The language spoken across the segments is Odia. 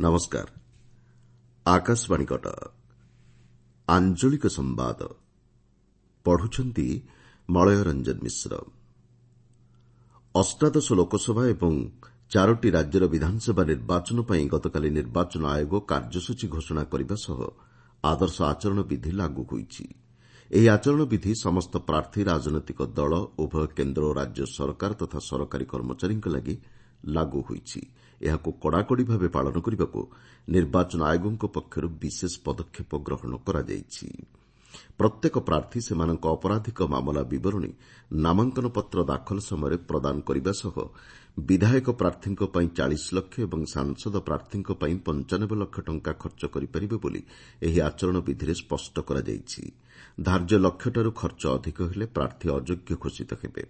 ନମସ୍କାର। ଆକାଶବାଣୀ କଟକ। ଆଞ୍ଚଳିକ ସମ୍ବାଦ ପଢୁଛନ୍ତି ମଳୟ ରଞ୍ଜନ ମିଶ୍ର। ଅଷ୍ଟାଦଶ ଲୋକସଭା ଏବଂ ଚାରୋଟି ରାଜ୍ୟର ବିଧାନସଭା ନିର୍ବାଚନ ପାଇଁ ଗତକାଲି ନିର୍ବାଚନ ଆୟୋଗ କାର୍ଯ୍ୟସୂଚୀ ଘୋଷଣା କରିବା ସହ ଆଦର୍ଶ ଆଚରଣ ବିଧି ଲାଗୁ ହୋଇଛି। ଏହି ଆଚରଣ ବିଧି ସମସ୍ତ ପ୍ରାର୍ଥୀ, ରାଜନୈତିକ ଦଳ, ଉଭୟ କେନ୍ଦ୍ର ଓ ରାଜ୍ୟ ସରକାର ତଥା ସରକାରୀ କର୍ମଚାରୀଙ୍କ ଲାଗି ଲାଗୁ ହୋଇଛି। ଏହାକୁ କଡ଼ାକଡ଼ି ଭାବେ ପାଳନ କରିବାକୁ ନିର୍ବାଚନ ଆୟୋଗଙ୍କ ପକ୍ଷରୁ ବିଶେଷ ପଦକ୍ଷେପ ଗ୍ରହଣ କରାଯାଇଛି। ପ୍ରତ୍ୟେକ ପ୍ରାର୍ଥୀ ସେମାନଙ୍କ ଅପରାଧିକ ମାମଲା ବିବରଣୀ ନାମାଙ୍କନପତ୍ର ଦାଖଲ ସମୟରେ ପ୍ରଦାନ କରିବା ସହ ବିଧାୟକ ପ୍ରାର୍ଥୀଙ୍କ ପାଇଁ ୪୦ ଲକ୍ଷ ଏବଂ ସାଂସଦ ପ୍ରାର୍ଥୀଙ୍କ ପାଇଁ ୯୫ ଲକ୍ଷ ଟଙ୍କା ଖର୍ଚ୍ଚ କରିପାରିବେ ବୋଲି ଏହି ଆଚରଣ ବିଧିରେ ସ୍ପଷ୍ଟ କରାଯାଇଛି। ଧାର୍ଯ୍ୟ ଲକ୍ଷ୍ୟଠାରୁ ଖର୍ଚ୍ଚ ଅଧିକ ହେଲେ ପ୍ରାର୍ଥୀ ଅଯୋଗ୍ୟ ଘୋଷିତ ହେବେ।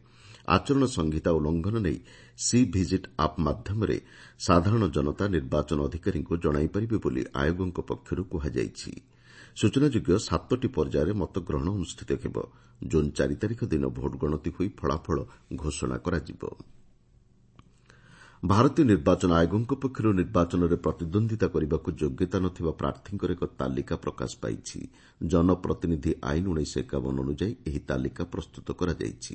ଆଚରଣ ସଂହିତା ଉଲ୍ଲଂଘନ ନେଇ ସି ଭିଜିଟ୍ ଆପ୍ ମାଧ୍ୟମରେ ସାଧାରଣ ଜନତା ନିର୍ବାଚନ ଅଧିକାରୀଙ୍କୁ ଜଣାଇପାରିବେ ବୋଲି ଆୟୋଗଙ୍କ ପକ୍ଷରୁ କୁହାଯାଇଛି। ସୂଚନାଯୋଗ୍ୟ, ସାତୋଟି ପର୍ଯ୍ୟାୟରେ ମତଗ୍ରହଣ ଅନୁଷ୍ଠିତ ହେବ। ଜୁନ୍ ୪ ତାରିଖ ଦିନ ଭୋଟ୍ ଗଣତି ହୋଇ ଫଳାଫଳ ଘୋଷଣା କରାଯିବ। ଭାରତୀୟ ନିର୍ବାଚନ ଆୟୋଗଙ୍କ ପକ୍ଷରୁ ନିର୍ବାଚନରେ ପ୍ରତିଦ୍ୱନ୍ଦ୍ୱିତା କରିବାକୁ ଯୋଗ୍ୟତା ନ ଥିବା ପ୍ରାର୍ଥୀଙ୍କର ଏକ ତାଲିକା ପ୍ରକାଶ ପାଇଛି। ଜନପ୍ରତିନିଧି ଆଇନ ୧୯୫୧ ଅନୁଯାୟୀ ଏହି ତାଲିକା ପ୍ରସ୍ତୁତ କରାଯାଇଛି।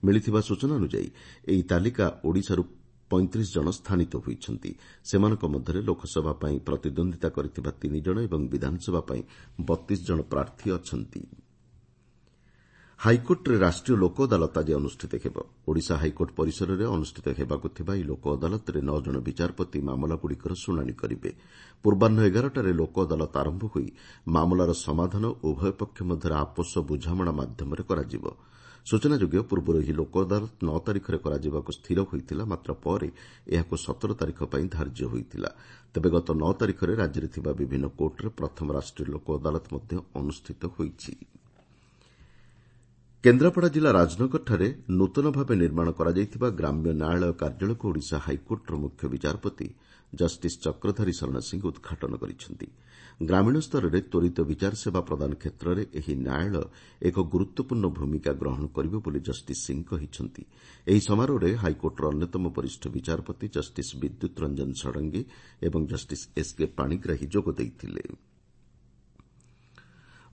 ମିଳିଥିବା ସୂଚନା ଅନୁଯାୟୀ ଏହି ତାଲିକା ଓଡ଼ିଶାରୁ ୩୫ ଜଣ ସ୍ଥାନିତ ହୋଇଛନ୍ତି। ସେମାନଙ୍କ ମଧ୍ୟରେ ଲୋକସଭା ପାଇଁ ପ୍ରତିଦ୍ୱନ୍ଦ୍ୱିତା କରିଥିବା ତିନି ଜଣ ଏବଂ ବିଧାନସଭା ପାଇଁ ୩୨ ଜଣ ପ୍ରାର୍ଥୀ ଅଛନ୍ତି। ହାଇକୋର୍ଟରେ ରାଷ୍ଟ୍ରୀୟ ଲୋକ ଅଦାଲତ ଆଜି ଅନୁଷ୍ଠିତ ହେବ। ଓଡ଼ିଶା ହାଇକୋର୍ଟ ପରିସରରେ ଅନୁଷ୍ଠିତ ହେବାକୁ ଥିବା ଏହି ଲୋକ ଅଦାଲତରେ ନଅ ଜଣ ବିଚାରପତି ମାମଲାଗୁଡ଼ିକର ଶୁଣାଣି କରିବେ। ପୂର୍ବାହ୍ନ ୧୧ଟାରେ ଲୋକ ଅଦାଲତ ଆରମ୍ଭ ହୋଇ ମାମଲାର ସମାଧାନ ଉଭୟ ପକ୍ଷ ମଧ୍ୟରେ ଆପୋଷ ବୁଝାମଣା ମାଧ୍ୟମରେ କରାଯିବ। ସୂଚନାଯୋଗ୍ୟ, ପୂର୍ବରୁ ଏହି ଲୋକ ଅଦାଲତ ୯ ତାରିଖରେ କରାଯିବାକୁ ସ୍ଥିର ହୋଇଥିଲା, ମାତ୍ର ପରେ ଏହାକୁ ୧୭ ତାରିଖ ପାଇଁ ଧାର୍ଯ୍ୟ ହୋଇଥିଲା। ତେବେ ଗତ ୯ ତାରିଖରେ ରାଜ୍ୟରେ ଥିବା ବିଭିନ୍ନ କୋର୍ଟରେ ପ୍ରଥମ ରାଷ୍ଟ୍ରୀୟ ଲୋକ ଅଦାଲତ ମଧ୍ୟ ଅନୁଷ୍ଠିତ ହୋଇଛି। କେନ୍ଦ୍ରାପଡ଼ା ଜିଲ୍ଲା ରାଜନଗରଠାରେ ନୂତନ ଭାବେ ନିର୍ମାଣ କରାଯାଇଥିବା ଗ୍ରାମ୍ୟ ନ୍ୟାୟାଳୟ କାର୍ଯ୍ୟାଳୟକୁ ଓଡ଼ିଶା ହାଇକୋର୍ଟର ମୁଖ୍ୟ ବିଚାରପତି ଜଷ୍ଟିସ୍ ଚକ୍ରଧାରୀ ଶରଣ ସିଂ ଉଦ୍ଘାଟନ କରିଛନ୍ତି। ଗ୍ରାମୀଣ ସ୍ତରରେ ତ୍ୱରିତ ବିଚାର ସେବା ପ୍ରଦାନ କ୍ଷେତ୍ରରେ ଏହି ନ୍ୟାୟାଳୟ ଏକ ଗୁରୁତ୍ୱପୂର୍ଣ୍ଣ ଭୂମିକା ଗ୍ରହଣ କରିବ ବୋଲି ଜଷ୍ଟିସ୍ ସିଂ କହିଛନ୍ତି। ଏହି ସମାରୋହରେ ହାଇକୋର୍ଟର ଅନ୍ୟତମ ବରିଷ୍ଠ ବିଚାରପତି ଜଷ୍ଟିସ୍ ବିଦ୍ୟୁତ୍ ରଞ୍ଜନ ଷଡ଼ଙ୍ଗୀ ଏବଂ ଜଷ୍ଟିସ୍ ଏସ୍କେ ପାଣିଗ୍ରାହୀ ଯୋଗ ଦେଇଥିଲେ।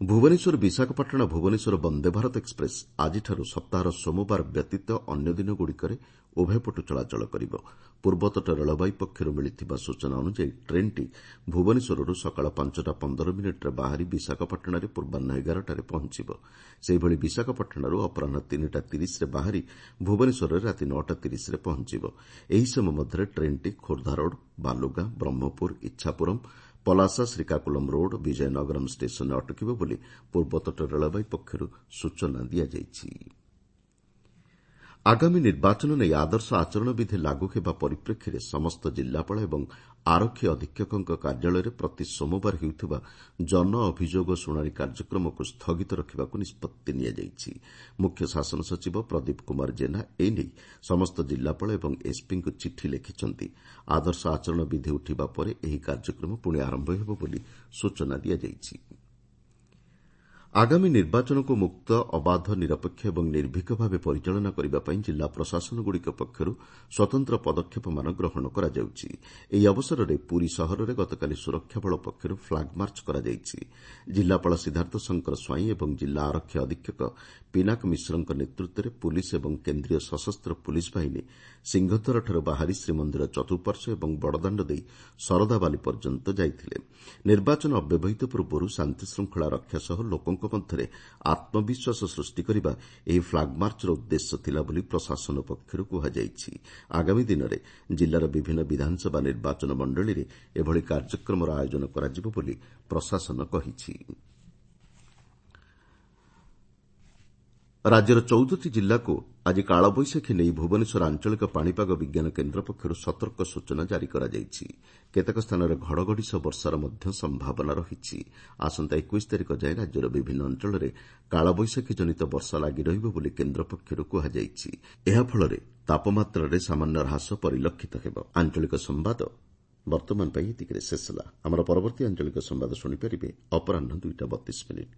ଭୁବନେଶ୍ୱର ବିଶାଖାପାଟଣା ଭୁବନେଶ୍ୱର ବନ୍ଦେ ଭାରତ ଏକ୍ସପ୍ରେସ୍ ଆଜିଠାରୁ ସପ୍ତାହର ସୋମବାର ବ୍ୟତୀତ ଅନ୍ୟ ଦିନଗୁଡ଼ିକରେ ଉଭୟ ପଟୁ ଚଳାଚଳ କରିବ। ପୂର୍ବତଟ ରେଳବାଇ ପକ୍ଷରୁ ମିଳିଥିବା ସୂଚନା ଅନୁଯାୟୀ ଟ୍ରେନ୍ଟି ଭୁବନେଶ୍ୱରରୁ ସକାଳ ୫ଟା ୧୫ ମିନିଟ୍ରେ ବାହାରି ବିଶାଖାପାଟଣାରେ ପୂର୍ବାହ୍ନ ୧୧ଟାରେ ପହଞ୍ଚିବ। ସେହିଭଳି ବିଶାଖାପାଟଣାରୁ ଅପରାହ୍ନ ୩ଟା ୩୦ରେ ବାହାରି ଭୁବନେଶ୍ୱରରେ ରାତି ୯ଟା ୩୦ରେ ପହଞ୍ଚିବ। ଏହି ସମୟ ମଧ୍ୟରେ ଟ୍ରେନ୍ଟି ଖୋର୍ଦ୍ଧା ରୋଡ୍, ବାଲୁଗାଁ, ବ୍ରହ୍ମପୁର, ଇଚ୍ଛାପୁରମ୍, ପଲାସା, ଶ୍ରୀକାକୁଲମ୍ ରୋଡ୍, ବିଜୟନଗରମ୍ ଷ୍ଟେସନରେ ଅଟକିବ ବୋଲି ପୂର୍ବତଟ ରେଳବାଇ ପକ୍ଷରୁ ସୂଚନା ଦିଆଯାଇଛି। ଆଗାମୀ ନିର୍ବାଚନ ନେଇ ଆଦର୍ଶ ଆଚରଣ ବିଧି ଲାଗୁ ହେବା ପରିପ୍ରେକ୍ଷୀରେ ସମସ୍ତ ଜିଲ୍ଲାପାଳ ଏବଂ ଆରକ୍ଷୀ ଅଧୀକ୍ଷକଙ୍କ କାର୍ଯ୍ୟାଳୟରେ ପ୍ରତି ସୋମବାର ହେଉଥିବା ଜନ ଅଭିଯୋଗ ଶୁଣାଣି କାର୍ଯ୍ୟକ୍ରମକୁ ସ୍ଥଗିତ ରଖିବାକୁ ନିଷ୍ପତ୍ତି ନିଆଯାଇଛି। ମୁଖ୍ୟ ଶାସନ ସଚିବ ପ୍ରଦୀପ କୁମାର ଜେନା ଏନେଇ ସମସ୍ତ ଜିଲ୍ଲାପାଳ ଏବଂ ଏସ୍ପିଙ୍କୁ ଚିଠି ଲେଖିଛନ୍ତି। ଆଦର୍ଶ ଆଚରଣ ବିଧି ଉଠିବା ପରେ ଏହି କାର୍ଯ୍ୟକ୍ରମ ପୁଣି ଆରମ୍ଭ ହେବ ବୋଲି ସୂଚନା ଦିଆଯାଇଛି। ଆଗାମୀ ନିର୍ବାଚନକୁ ମୁକ୍ତ, ଅବାଧ, ନିରପେକ୍ଷ ଏବଂ ନିର୍ଭୀକ ଭାବେ ପରିଚାଳନା କରିବା ପାଇଁ ଜିଲ୍ଲା ପ୍ରଶାସନଗୁଡ଼ିକ ପକ୍ଷରୁ ସ୍ୱତନ୍ତ୍ର ପଦକ୍ଷେପମାନ ଗ୍ରହଣ କରାଯାଉଛି। ଏହି ଅବସରରେ ପୁରୀ ସହରରେ ଗତକାଲି ସୁରକ୍ଷା ବଳ ପକ୍ଷରୁ ଫ୍ଲାଗମାର୍ଚ୍ଚ କରାଯାଇଛି। ଜିଲ୍ଲାପାଳ ସିଦ୍ଧାର୍ଥ ଶଙ୍କର ସ୍ୱାଇଁ ଏବଂ ଜିଲ୍ଲା ଆରକ୍ଷୀ ଅଧୀକ୍ଷକ ପିନାକ ମିଶ୍ରଙ୍କ ନେତୃତ୍ୱରେ ପୁଲିସ୍ ଏବଂ କେନ୍ଦ୍ରୀୟ ସଶସ୍ତ୍ର ପୁଲିସ୍ ବାହିନୀ ସିଂହଦ୍ୱାରଠାରୁ ବାହାରି ଶ୍ରୀମନ୍ଦିର ଚତୁଃପାର୍ଶ୍ୱ ଏବଂ ବଡ଼ଦାଣ୍ଡ ଦେଇ ଶରଧାବାଲି ପର୍ଯ୍ୟନ୍ତ ଯାଇଥିଲେ। ନିର୍ବାଚନ ଅବ୍ୟବହିତ ପୂର୍ବରୁ ଶାନ୍ତିଶୃଙ୍ଖଳା ରକ୍ଷା ସହ ଲୋକଙ୍କ ମଧ୍ୟରେ ଆତ୍ମବିଶ୍ୱାସ ସୃଷ୍ଟି କରିବା ଏହି ଫ୍ଲାଗମାର୍ଚ୍ଚର ଉଦ୍ଦେଶ୍ୟ ଥିଲା ବୋଲି ପ୍ରଶାସନ ପକ୍ଷରୁ କୁହାଯାଇଛି। ଆଗାମୀ ଦିନରେ ଜିଲ୍ଲାର ବିଭିନ୍ନ ବିଧାନସଭା ନିର୍ବାଚନ ମଣ୍ଡଳୀରେ ଏଭଳି କାର୍ଯ୍ୟକ୍ରମର ଆୟୋଜନ କରାଯିବ ବୋଲି ପ୍ରଶାସନ କହିଛି। ରାଜ୍ୟର ୧୪ଟି ଜିଲ୍ଲାକୁ ଆଜି କାଳବୈଶାଖୀ ନେଇ ଭୁବନେଶ୍ୱର ଆଞ୍ଚଳିକ ପାଣିପାଗ ବିଜ୍ଞାନ କେନ୍ଦ୍ର ପକ୍ଷରୁ ସତର୍କ ସୂଚନା ଜାରି କରାଯାଇଛି। କେତେକ ସ୍ଥାନରେ ଘଡ଼ଘଡ଼ି ସହ ବର୍ଷାର ମଧ୍ୟ ସମ୍ଭାବନା ରହିଛି। ଆସନ୍ତା ୨୧ ତାରିଖ ଯାଏଁ ରାଜ୍ୟର ବିଭିନ୍ନ ଅଞ୍ଚଳରେ କାଳବୈଶାଖୀ ଜନିତ ବର୍ଷା ଲାଗି ରହିବ ବୋଲି କେନ୍ଦ୍ର ପକ୍ଷରୁ କୁହାଯାଇଛି। ଏହାଫଳରେ ତାପମାତ୍ରାରେ ସାମାନ୍ୟ ହ୍ରାସ ପରିଲକ୍ଷିତ ହେବ। ଆଞ୍ଚଳିକ ସମ୍ବାଦ ବର୍ତ୍ତମାନ ପାଇଁ ଏତିକିରେ ଶେଷ ହେଲା। ଆମର ପରବର୍ତ୍ତୀ ଆଞ୍ଚଳିକ ସମ୍ବାଦ ଶୁଣିପାରିବେ ଅପରାହ୍ନ ୨ଟା ୩୨ ମିନିଟ୍।